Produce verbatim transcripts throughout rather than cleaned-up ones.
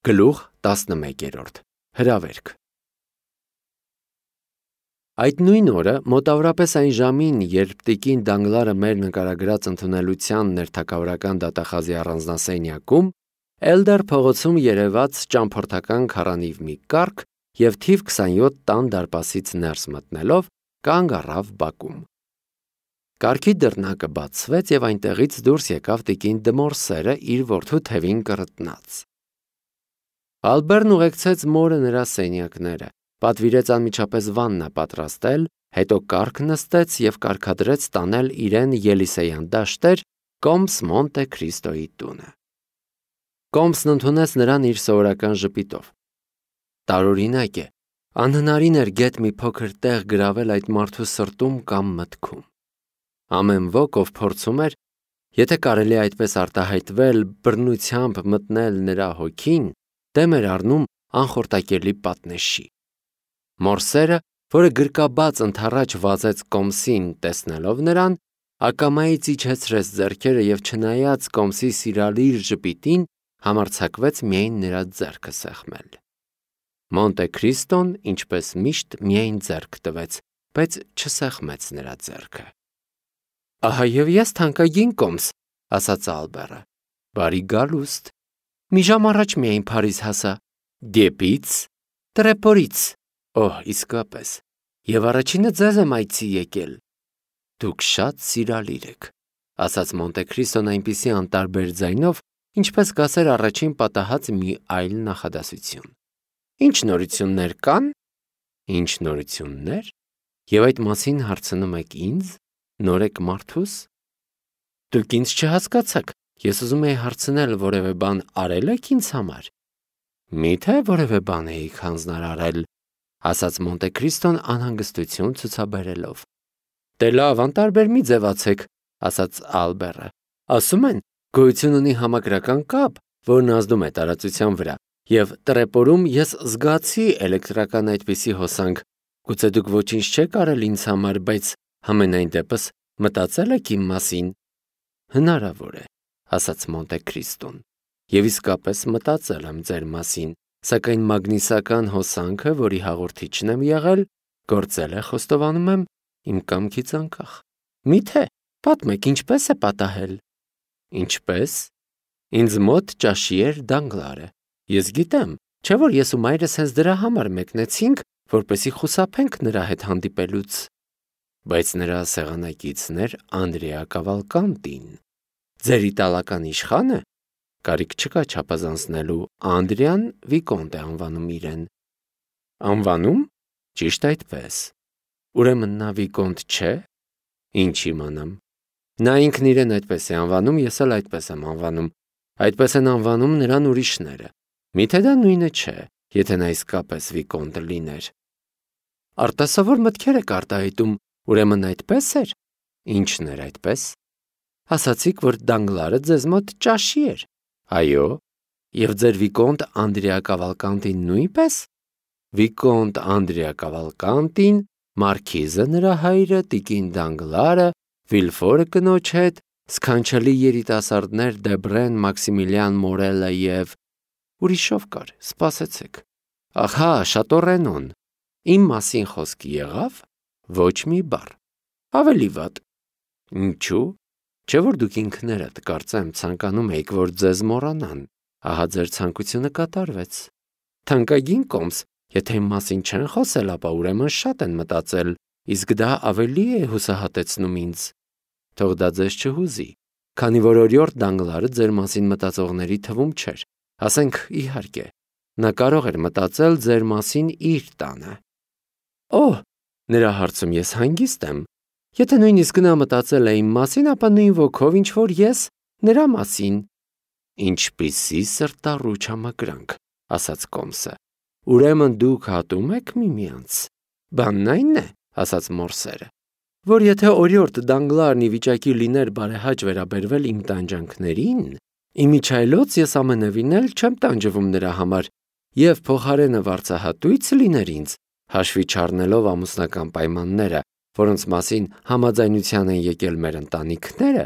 Գլուխ տասնմեկերորդ Հրավերք Այդ նույն օրը, մոտավորապես այն ժամին, երբ տիկին Դանգլարը մեր նկարագրած ընդունելության ներթագավորական դատախազի առանձնասենյակում, Էլդար փողոցում երևաց ճամփորդական քառանիվ մի կառք և թիվ քսանյոթ տան դարպասից ներս մտնելով, կանգ առավ բակում։ Կառքի դռնակը բացվեց և այնտեղից դուրս եկավ տիկին Դմորսերը իր որդու թևին կռտնած։ Ալբերն ուղեկցեց մորը նրա սենյակները, պատվիրեց անմիջապես վաննա պատրաստել, հետո կառք նստեց և կարգադրեց տանել իրեն Ելիսեյան դաշտեր կոմս Մոնտե Քրիստոյի տունը։ Կոմսն ընդունեց նրան իր սովորական ժպիտով։ Տարօրինակ է, անհնարին էր գեթ մի փոքր տեղ գրավել այդ մարդու սրտում կամ մտքում։ Ամեն ոք, ով փորձում էր, եթե կարելի է այդպես արտահայտվել, բռնությամբ մտնել նրա հոգին, դեմ էր առնում անխորտակելի պատնեշի։ Մորսերը, որը գրկաբաց ընդառաջ վազեց Կոմսին, տեսնելով նրան, ակամայից իջեցրեց ձեռքերը և չնայած Կոմսի սիրալիր ժպիտին, համարձակվեց միայն նրա ձեռքը սեղմել։ Մոնտե Քրիստոն, ինչպես միշտ, միայն ձեռք տվեց, բայց չսեղմեց նրա ձեռքը։ Ահա և ես թանկագին Կոմս, ասաց Ալբերը, բարի գալուստ, մի ժամ առաջ միայն Փարիզ հասա, դեպի՞ց, Տրեպորից, օհ, իսկապես, և առաջինը ձեզ եմ այցի եկել։ Դուք շատ սիրալիր եք, ասաց Մոնտե Քրիստոն այնպիսի անտարբեր ձայնով, ինչպես կասեր առաջին պատահած մի այլ նախադասություն։ Ինչ նորություններ կան։ Ինչ նորություններ։ Եվ այդ մասին հարցնում եք ինձ, նորեկ մարդուս։ Դուք ինձ չհասկացաք, ես ուզում էի հարցնել, որևէ բան արել եք ինձ համար։ Միթե որևէ բան էիք հանձնարարել, ասաց Մոնտե Քրիստոն անհանգստություն ցուցաբերելով։ Դե լավ, անտարբեր մի ձևացեք, ասաց Ալբերը։ Ասում են, գոյություն ունի համակրական կապ, որն ազդում է տարածության վրա, և Տրեպորում ես զգացի էլեկտրական այդպիսի հոսանք, գուցե դուք ոչինչ չեք արել ինձ համար, բայց համենայն դեպս մտածել եք իմ մասին։ Հնարավոր է, ասաց Մոնտե Քրիստոն, և իսկապես մտածել եմ ձեր մասին, սակայն մագնիսական հոսանքը, որի հաղորդիչն եմ եղել, գործել է, խոստովանում եմ, իմ կամքից անկախ։ Միթե, պատմեք, ինչպես է պատահել։ Ինչպես։ Ինձ մոտ ճաշի էր Դանգլարը։ Ես գիտեմ, չէ՞ որ ես ու մայրս հենց դրա համար մեկնեցինք, որպեսզի խուսափենք նրա հետ հանդիպելուց։ Բայց նրա սեղանակիցն էր Անդրեա Կավալկանտին։ Ձեր իտալական իշխա՞նը։ Կարիք չկա չափազանցնելու, Անդրեան Վիկոնտ է անվանում իրեն։ Անվանում։ Ճիշտ այդպես։ Ուրեմն նա Վիկոնտ չէ։ Ինչ իմանամ։ Նա ինքն իրեն այդպես է անվանում, ես էլ այդպես եմ անվանում, այդպես են անվանում նրան ուրիշները։ Միթե դա նույնը չէ, եթե նա իսկապես Վիկոնտ լիներ։ Արտասովոր մտքեր եք արտահայտում, ուրեմն այդպես էր։ Ինչն էր այդպես։ Ասացիք, որ Դանգլարը ձեզ մոտ ճաշի էր։ Այո։ Եվ ձեր Վիկոնտ Անդրեա Կավալկանտին նույնպես։ Վիկոնտ Անդրեա Կավալկանտին, մարքիզը նրա հայրը, տիկին Դանգլարը, Վիլֆորը կնոջ հետ, սքանչելի երիտասարդներ Դեբրեն, Մաքսիմիլիան Մորելը և… Ուրիշով կար, սպասեցեք։ Ահա, Շատորենոն։ Իմ մասին խոսք եղավ։ Ոչ մի բառ։ Ավելի վատ։ Ինչու՞։ Չէ՞ որ դուք ինքներդ կարծեմ ցանկանում էիք, որ ձեզ մոռանան։ Ահա ձեր ցանկությունը կատարվեց։ Թանկագին Կոմս, եթե իմ մասին չեն խոսել, ապա ուրեմն շատ են մտածել, իսկ դա ավելի է հուսահատեցնում ինձ։ Թող դա ձեզ չհուզի, քանի որ օրիորդ Դանգլարը ձեր մասին մտածողների թվում չէր, ասենք իհարկե, նա կարող էր մտածել ձեր մասին իր տանը։ Օհ, նրա հարցում ես հանգիստ եմ։ Եթե նույնիսկ նա մտածել է իմ մասին, ապա նույն ոգով, ինչ որ ես նրա մասին։ Ինչպիսի սրտառուչ համակրանք, ասաց Կոմսը։ Ուրեմն դուք հատում եք միմյանց։ Բանն այն է, ասաց Մորսերը, որ եթե օրիորդ Դանգլարն ի վիճակի լիներ բարեհաճ վերաբերվել իմ տանջանքներին, իմիջայլոց ես ամենևին էլ չեմ տանջվում նրա համար, և փոխարենը վարձահատույց լիներ ինձ, հաշվի չառնելով ամուսնական պայմանները, որոնց մասին համաձայնության են եկել մեր ընտանիքները,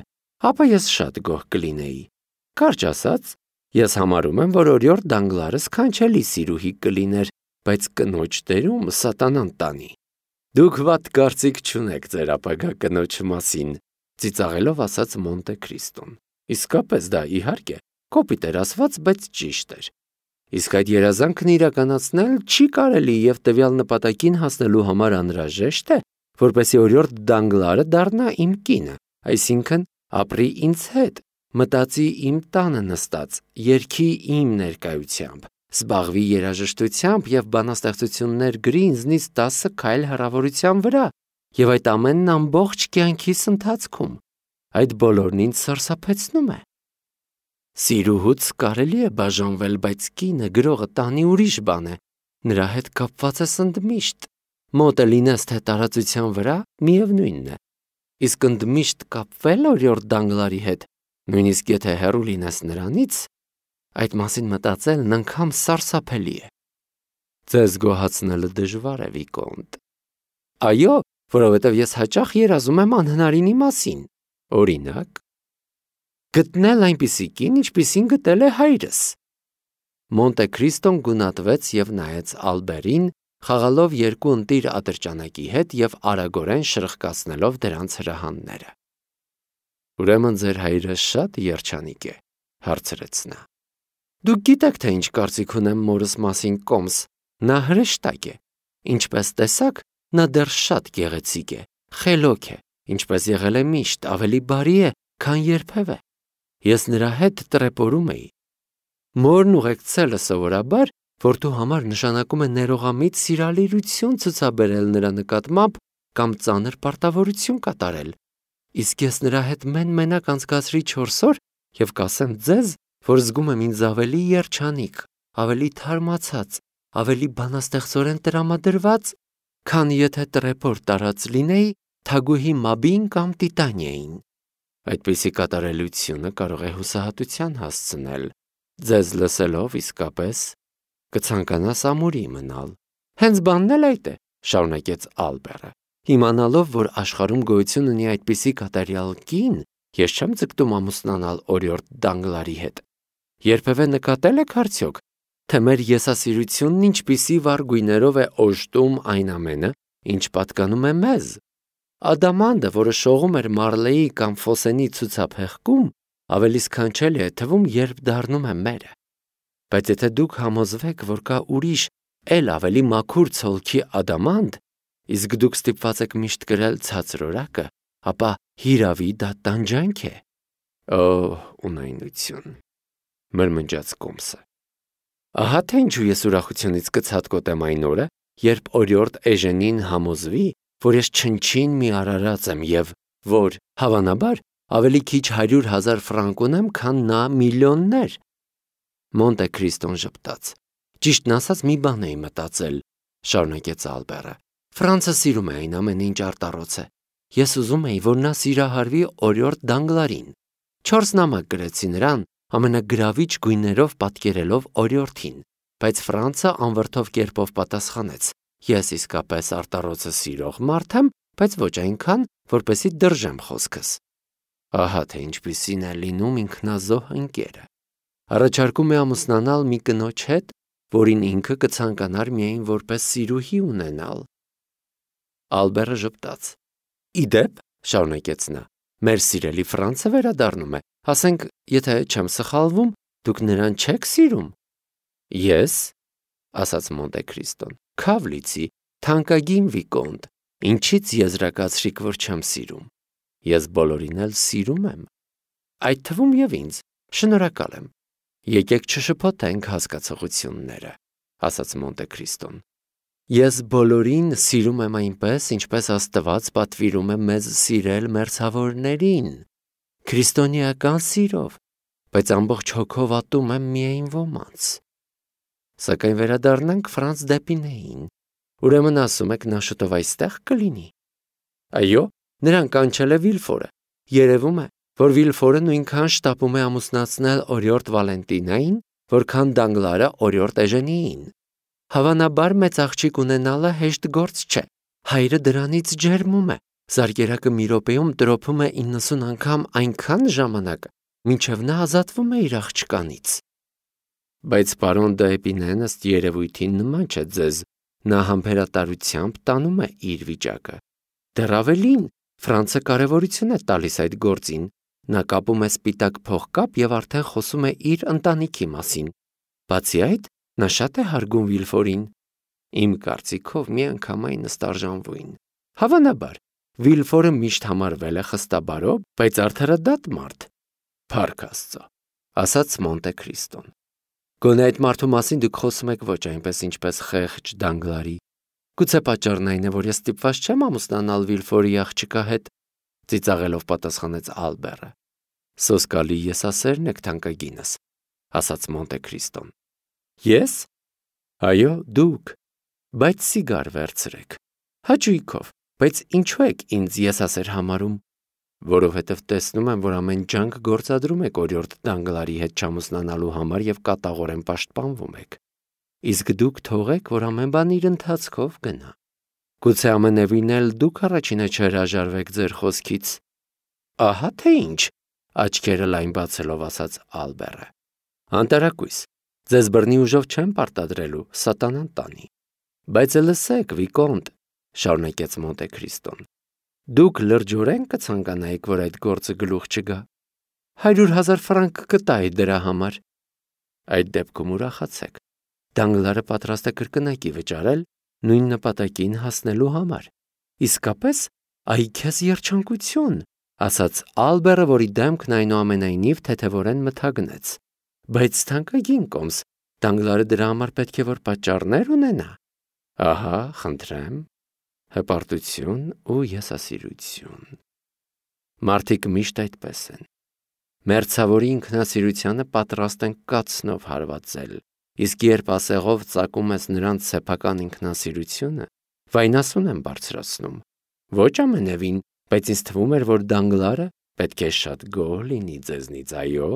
ապա ես շատ գոհ կլինեի։ Կարճ ասած, Ես համարում եմ, որ օրիորդ Դանգլարը սքանչելի սիրուհի կլիներ, բայց կնոջ դերում սատանան տանի։ Դուք վատ կարծիք չունեք ձեր ապագա կնոջ մասին, ծիծաղելով ասաց Մոնտե Քրիստոն։ Իսկապես դա իհարկե կոպիտ էր ասված, բայց ճիշտ էր։ Իսկ այդ երազանքն իրականացնել չի կարելի եւ տվյալ նպատակին հասնելու համար անհրաժեշտ է, որպեսզի օրիորդ Դանգլարը դառնա իմ կինը, այսինքն ապրի ինձ հետ, մտածի իմ տանը նստած, երգի իմ ներկայությամբ, զբաղվի երաժշտությամբ եւ բանաստեղծություններ գրի ինձնից տասը քայլ հեռավորության վրա, եւ այդ ամենն ամբողջ կյանքիս ընթացքում։ Այդ բոլորն ինձ սարսափեցնում է։ Սիրուհուց կարելի է բաժանվել, բայց կինը գրողը տանի ուրիշ բան է, նրա հետ կապված ես ընդմիշտ, մոտ է լինես թե տարածության վրա, միևնույնն է, իսկ ընդմիշտ կապվել օրիորդ Դանգլարի հետ, նույնիսկ եթե հեռու լինես նրանից, այդ մասին մտածելն անգամ սարսափելի է։ Ձեզ գոհացնելը դժվար է, Վիկոնտ։ Այո, որովհետև ես հաճախ երազում եմ անհնարինի մասին, օրինակ, գտնել այնպիսի կին, ինչպիսին գտել է հայրս։ Մոնտե Քրիստոն գունատվեց եւ նայեց Ալբերին, խաղալով երկու ընտիր ատրճանակի հետ եւ արագորեն շրխկացնելով դրանց հրահանները։ Ուրեմն ձեր հայրը շատ երջանիկ է, հարցրեց նա։ Դուք գիտեք, թե ինչ կարծիք ունեմ մորս մասին կոմս, նա հրեշտակ է։ Ինչպես տեսակ, նա դեռ շատ գեղեցիկ է, խելոք է, ինչպես եղել է միշտ, ավելի բարի է, քան երբևէ։ Ես նրա հետ տրեպորում էի։ Մորն ուղեկցելը սովորաբար որդու համար նշանակում է ներողամիտ սիրալիրություն ցուցաբերել նրա նկատմամբ կամ ծանր պարտավորություն կատարել։ Իսկ ես նրա հետ մեն-մենակ անցկացրի չորս օր եւ կասեմ ձեզ, որ զգում եմ ինձ ավելի երջանիկ, ավելի թարմացած, ավելի բանաստեղծորեն տրամադրված, քան եթե տրեպոր տարած լինեի թագուհի Մաբին կամ Տիտանիային։ Այդպիսի կատարելությունը կարող է հուսահատության հասցնել։ Ձեզ լսելով իսկապես կցանկանաս ամուրի մնալ։ Հենց բանն էլ այդ է, շարունակեց Ալբերը։ Իմանալով, որ աշխարհում գոյություն ունի այդպիսի կատարյալ կին, ես չեմ ձգտում ամուսնանալ օրիորդ Դանգլարի հետ։ Երբևէ նկատել եք արդյոք, թե մեր եսասիրությունն ինչպիսի վառ գույներով է օժտում այն ամենը, ինչ պատկանում է մեզ։ Ադամանդը, որը շողում էր Մարլեի կամ Ֆոսենի ցուցափեղկում, ավելի սքանչելի է թվում, երբ դառնում է մերը։ Բայց եթե դուք համոզվեք, որ կա ուրիշ, էլ ավելի մաքուր ցոլքի ադամանդ, իսկ դուք ստիպված եք միշտ կրել ցածրորակը, ապա հիրավի դա տանջանք է։ Օ, ունայնություն, մրմնջաց Կոմսը։ Ահա թե ինչու ես ուրախությունից կցատկոտեմ այն օրը, երբ օրիորդ Էժենին համոզվի, որ ես չնչին մի արարած եմ եւ որ, հավանաբար, ավելի քիչ հարյուր հազար ֆրանկ ունեմ, քան նա միլիոններ։ Մոնտե Քրիստոն ժպտաց։ Ճիշտն ասած մի բան էի մտածել, շարունակեց Ալբերը։ Ֆրանսը սիրում է այն ամենը, ինչ արտառոց է։ Ես ուզում էի, որ նա սիրահարվի օրիորդ Դանգլարին։ Չորս նամակ գրեցի նրան, ամենագրավիչ գույներով պատկերելով օրիորդին, բայց Ֆրանսը անվրդով կերպով պատասխանեց. Ես իսկապես արտառոցը սիրող մարդ եմ, բայց ոչ այնքան, որպեսզի դրժեմ խոսքս։ Ահա թե ինչպիսին է լինում ինքնազոհ ընկերը։ Առաջարկում է ամուսնանալ մի կնոջ հետ, որին ինքը կցանկանար միայն որպես սիրուհի ունենալ։ Ալբերը ժպտաց։ Իդեպ, շարունակեց նա, մեր սիրելի Ֆրանսը վերադառնում է, ասենք, եթե չեմ սխալվում, դուք նրան չեք սիրում։ Ես, ասաց Մոնտե Քրիստոն, Քավլիցի, թանկագին Վիկոնտ, ինչից եզրակացրիք, որ չեմ սիրում։ Ես բոլորին էլ սիրում եմ։ Այդ թվում եւ ինձ, շնորհակալ եմ։ Եկեք չշփոթենք հասկացողությունները, ասաց Մոնտե Քրիստոն։ Ես բոլորին սիրում եմ այնպես, ինչպես Աստված պատվիրում է մեզ սիրել մերձավորներին, քրիստոնեական սիրով, բայց ամբողջ հոգով ատում եմ միայն ոմանց։ Սակայն վերադառնանք Ֆրանս Դեպինեին։ Ուրեմն ասում եք, նա շուտով այստեղ կլինի։ Այո, նրան կանչել է Վիլֆորը։ Երևում է, որ Վիլֆորը նույնքան շտապում է ամուսնացնել օրիորդ Վալենտինային, որքան Դանգլարը օրիորդ Էժենիին։ Հավանաբար մեծ աղջիկ ունենալը հեշտ գործ չէ։ Հայրը դրանից ջերմում է։ Զարկերակը մի րոպեում տրոփում է իննսուն անգամ այնքան ժամանակ, մինչև նա ազատվում է իր աղջկանից։ Բայց պարոն Դ'Եպինեն ըստ երևույթին նման չէ ձեզ, նա համբերատարությամբ տանում է իր վիճակը։ Դեռ ավելին, Ֆրանցը կարևորություն է տալիս այդ գործին, նա կապում է սպիտակ փողկապ եւ արդեն խոսում է իր ընտանիքի մասին։ Բացի այդ, նա շատ է հարգում Վիլֆորին։ Իմ կարծիքով միանգամայն նստարժանվույն։ Հավանաբար, Վիլֆորը միշտ համարվել է խստաբարով, բայց արդարադատ մարդ։ Փառք Աստծո, ասաց Մոնտե Քրիստոն։ Գոնե այդ մարդու մասին դուք խոսում եք ոչ այնպես, ինչպես խեղճ Դանգլարի։ Գուցե պատճառն այն է, որ ես ստիպված չեմ ամուսնանալ Վիլֆորի աղջկա հետ, ծիծաղելով պատասխանեց Ալբերը։ Սոսկալի եսասերն եք թանկագինս, ասաց Մոնտե Քրիստոն։ Ես։ Այո, դուք, բայց սիգար վերցրեք։ Հաճույքով, բայց ինչու եք ինձ եսասեր համարում։ Որովհետև տեսնում եմ, որ ամեն ջանք գործադրում եք օրիորդ Դանգլարի հետ չամուսնանալու համար եւ կատաղորեն պաշտպանվում եք։ Իսկ դուք թողեք, որ ամեն բան իր ընթացքով գնա։ Գուցե ամենևին էլ դուք առաջինը չհրաժարվեք ձեր խոսքից։ Ահա թե ինչ, աչքերը լայն բացելով ասաց Ալբերը։ Անտարակույս, ձեզ բռնի ուժով չեմ պարտադրելու, սատանան տանի։ Բայց լսեք, Վիկոնտ, շարունակեց Մոնտե Քրիստոն։ Դուք լրջորեն կցանկանայիք, որ այդ գործը գլուխ չգա։ Հարյուր հազար ֆրանկ կտայի դրա համար։ Այդ դեպքում ուրախացեք։ Դանգլարը պատրաստ է կրկնակի վճարել նույն նպատակին հասնելու համար։ Իսկապես, այ քեզ երջանկություն, ասաց Ալբերը, որի դեմքն այնուամենայնիվ թեթևորեն մթագնեց։ Բայց թանկագին կոմս, Դանգլարը դրա համար պետք է որ պատճառներ ունենա։ Ահա, խնդրեմ, հպարտություն ու եսասիրություն։ Մարդիկ միշտ այդպես են։ Մերձավորի ինքնասիրությանը պատրաստ են կացնով հարվածել, իսկ երբ ասեղով ծակում ես նրանց սեփական ինքնասիրությունը, վայնասուն են բարձրացնում։ Ոչ ամենևին, բայց ինձ թվում էր, որ Դանգլարը պետք է շատ գոհ լինի ձեզնից, այո։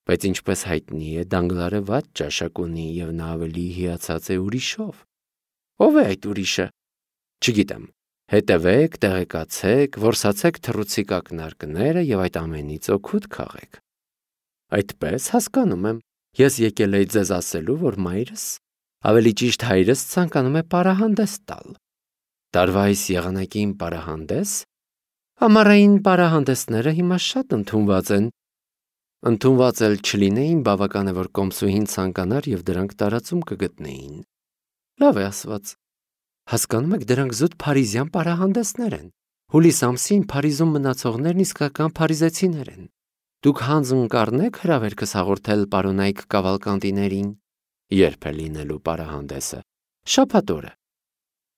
Բայց ինչպես հայտնի է, Դանգլարը վատ ճաշակ ունի եւ նա ավելի հիացած է ուրիշով։ Ո՞վ է այդ ուրիշը։ Չգիտեմ։ Հետևեք, տեղեկացեք, որսացեք թռուցիկ ակնարկները եւ այդ ամենից օգուտ քաղեք։ Այդպես հասկանում եմ, ես եկել էի ձեզ ասելու, որ մայրս, ավելի ճիշտ հայրս ցանկանում է պարահանդես տալ։ Տարվա այս եղանակին պարահանդես։ Ամառային պարահանդեսները հիմա շատ ընդունված են։ Ընդունված էլ չլինեին, բավական է, որ կոմսուհին ցանկանար եւ դրանք տարածում կգտնեին։ Լավ է ասված։ Հասկանում եք, դրանք զուտ փարիզյան պարահանդեսներ են։ Հուլիս ամսին Փարիզում մնացողներն իսկական փարիզեցիներ են։ Դուք հանձն կառնեք հրավերքս հաղորդել պարոնայք Կավալկանտիներին։ Երբ է լինելու պարահանդեսը։ Շաբաթ օրը։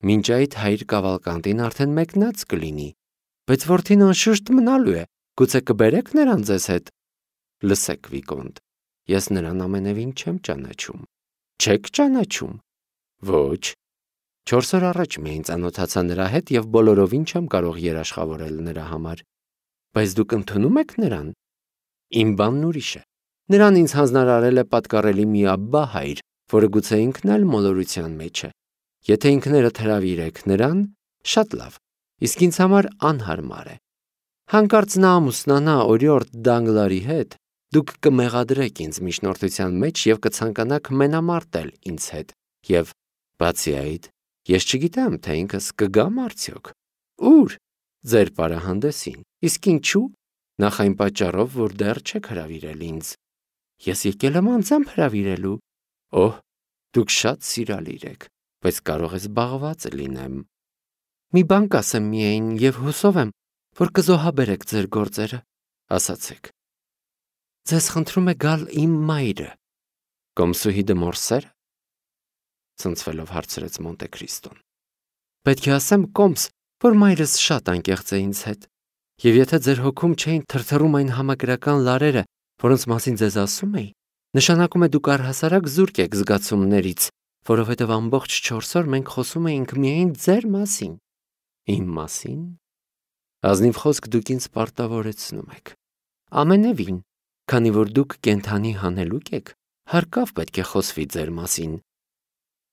Մինչ այդ հայր Կավալկանտին արդեն մեկնած կլինի, բայց որդին անշուշտ մնալու է։ Գուցե կբերեք նրան ձեզ հետ։ Լսեք, Վիկոնտ, ես նրան ամենևին չեմ ճանաչում։ Չեք ճանաչում։ Ոչ։ Չորս օր առաջ միայն ծանոթացա նրա հետ եւ բոլորովին չեմ կարող երաշխավորել նրա համար։ Բայց դուք ընդունում եք նրան։ Իմ բանն ուրիշ է։ Նրան ինձ հանձնարարել է պատկառելի մի աբբա հայր, որը գուցե ինքն էլ մոլորության մեջ է։ Եթե ինքներդ հրավիրեք նրան, շատ լավ, իսկ ինձ համար անհարմար է։ Հանկարծ նա ամուսնանա օրիորդ Դանգլարի հետ, դուք կմեղադրեք ինձ միջնորդության մեջ եւ կցանկանաք մենամարտել ինձ հետ։ Եվ բացի այդ, ես չգիտեմ, թե ինքս կգամ արդյոք։ Ուր։ Ձեր պարահանդեսին։ Իսկ ինչու։ Նախ այն պատճառով, որ դեռ չեք հրավիրել ինձ։ Ես եկել եմ անձամբ հրավիրելու։ Օհ, դուք շատ սիրալիր եք, բայց կարող է զբաղված լինեմ։ Մի բան կասեմ միայն եւ հուսով եմ, որ կզոհաբերեք ձեր գործերը, ասացեք։ Ձեզ խնդրում է գալ իմ մայրը։ Կոմսուհի դմորսեր։ Ցնցվելով հարցրեց Մոնտե Քրիստոն։ Պետք է ասեմ կոմս, որ մայրս շատ անկեղծ է ինձ հետ, եւ եթե ձեր հոգում չէին թրթռում այն համակրական լարերը, որոնց մասին ձեզ ասում էի, նշանակում է դուք առհասարակ զուրկ եք զգացումներից, որովհետև ամբողջ չորս օր մենք խոսում էինք միայն ձեր մասին։ Իմ մասին։ Ազնիվ խոսք դուք ինձ պարտավորեցնում եք։ Ամենևին, քանի որ դուք կենթանի հանելուկ եք, հարկավ պետք է խոսվի ձեր մասին։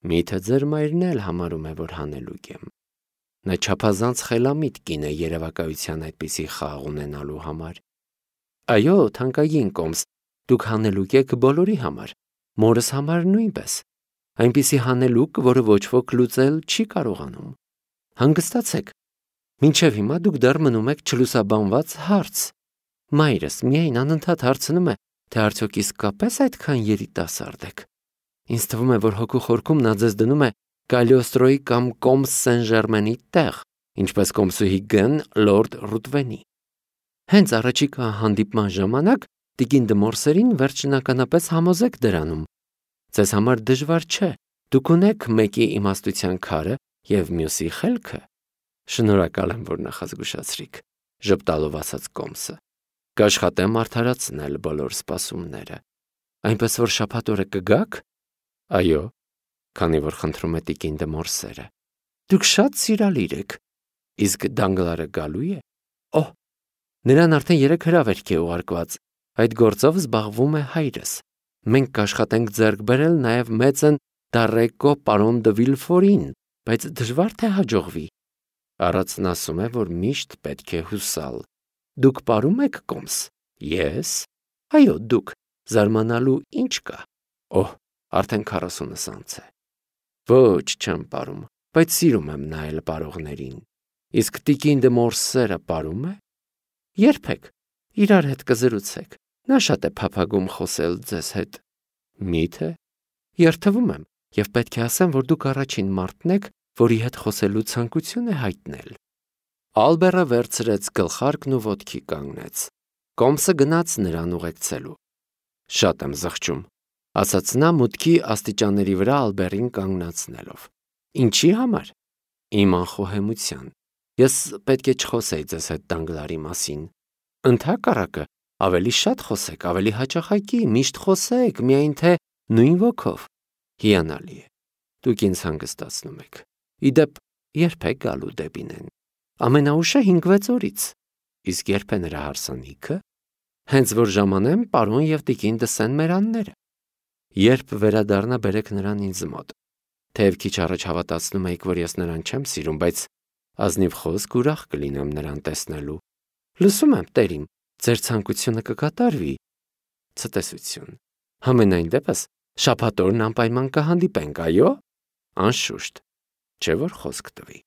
Միթե ձեր մայրն էլ համարում է, որ հանելուկ եմ։ Նա չափազանց խելամիտ կին է երևակայության այդպիսի խաղ ունենալու համար։ Այո, թանկագին կոմս, դուք հանելուկ եք բոլորի համար, մորս համար նույնպես։ Այնպիսի հանելուկ, որը ոչ ոք լուծել չի կարողանում։ Հանգստացեք։ Մինչև հիմա դուք դեռ մնում եք չլուսաբանված հարց։ Մայրս միայն անընդհատ հարցնում է, թե արդյոք իսկապես այդքան երիտասարդ եք։ Ինձ թվում է, որ հոգու խորքում նա ձեզ դնում է Կալիոստրոյի կամ Կոմս Սեն-Ժերմենի տեղ, ինչպես կոմսուհի Գն լորդ Ռուտվենի։ Հենց առաջիկա հանդիպման ժամանակ տիկին Դմորսերին վերջնականապես համոզեք դրանում։ Ձեզ համար դժվար չէ, դուք ունեք մեկի իմաստության քարը և մյուսի խելքը։ Շնորհակալ եմ, որ նախազգուշացրիք, ժպտալով ասաց Կոմսը։ Կաշխատեմ արդարացնել բոլոր սպասումները։ Այնպես որ շաբաթ օրը կգաք։ Այո, քանի որ խնդրում է տիկին Դմորսերը։ Դուք շատ սիրալիր եք։ Իսկ Դանգլարը գալու է։ Օհ, նրան արդեն երեք հրավերք է ուղարկված։ Այդ գործով զբաղվում է հայրս։ Մենք կաշխատենք ձեռք բերել նաև մեծն Դարեկո պարոն դը Վիլֆորին, բայց դժվար թե հաջողվի։ Առածն ասում է, որ միշտ պետք է հուսալ։ Դուք պարում եք Կոմս։ Ես։ Այո, դուք։ Զարմանալու ինչ կա։ Օհ, արդեն քառասունս անց է։ Ոչ, չեմ պարում, բայց սիրում եմ նայել պարողներին։ Իսկ տիկին Դմորսերը պարում է։ Երբեք։ Իրար հետ կզրուցեք։ Նա շատ է փափագում խոսել ձեզ հետ։ Մի՞թե։ Երթվում եմ և պետք է ասեմ, որ դուք առաջին մարդն եք, որի հետ խոսելու ցանկություն է հայտնել։ Ալբերը վերցրեց գլխարկն ու ոտքի կանգնեց։ Կոմսը գնաց նրան ուղեկցելու։ Շատ եմ զղջում, ասաց նա մուտքի աստիճանների վրա Ալբերին կանգնացնելով։ Ինչի համար։ Իմ անխոհեմության։ Ես պետք է չխոսեի ձեզ հետ Դանգլարի մասին։ Ընդհակառակը, ավելի շատ խոսեք, ավելի հաճախակի, միշտ խոսեք, միայն թե նույն ոգով։ Հիանալի է։ Դուք ինձ հանգստացնում եք։ Իդեպ, երբ եք գալու դեպինեն։ Ամենաուշը հինգ-վեց օրից։ Իսկ երբ է նրա հարսանիքը։ Հենց որ ժամանեմ պարոն և տիկին դը Սեն-Մերանները։ Երբ վերադառնա բերեք նրան ինձ մոտ։ Թեև քիչ առաջ հավատացնում էիք, որ ես նրան չեմ սիրում, բայց ազնիվ խոսք ուրախ կլինեմ նրան տեսնելու։ Լսում եմ, տերիմ, ձեր ցանկությունը կկատարվի։ Ցտեսություն։ Համենայն դեպս, շաբաթ օրն անպայման կհանդիպենք, այո։ Անշուշտ, չէ որ խոսք տվի։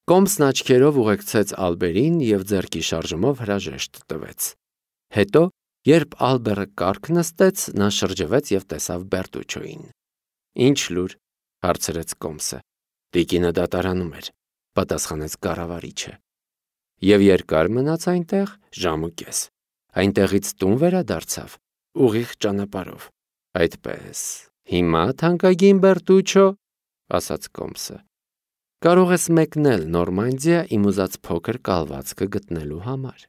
Կոմսն աչքերով ուղեկցեց Ալբերին և ձեռքի շարժումով հրաժեշտ տվեց։ Հետո, երբ Ալբերը կառք նստեց, նա շրջվեց և տեսավ Բերտուչոյին։ Ինչ լուր, հարցրեց Կոմսը։ Տիկինը դատարանում էր, պատասխանեց կառավարիչը։ Եվ երկար մնաց այնտեղ, ժամ ու կես։ Այնտեղից տուն վերադարձավ, ուղիղ ճանապարհով։ Այդպես, հիմա թանկագին Բերտուչո, ասաց Կոմսը, կարող ես մեկնել Նորմանդիա իմ ուզած փոքր կալվածքը գտնելու համար։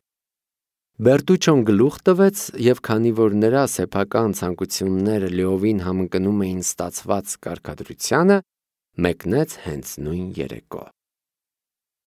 Բերտուչոն գլուխ տվեց և քանի որ նրա սեփական ցանկությունները լիովին համընկնում էին ստացված կարգադրությանը, մեկնեց հենց նույն երեկո։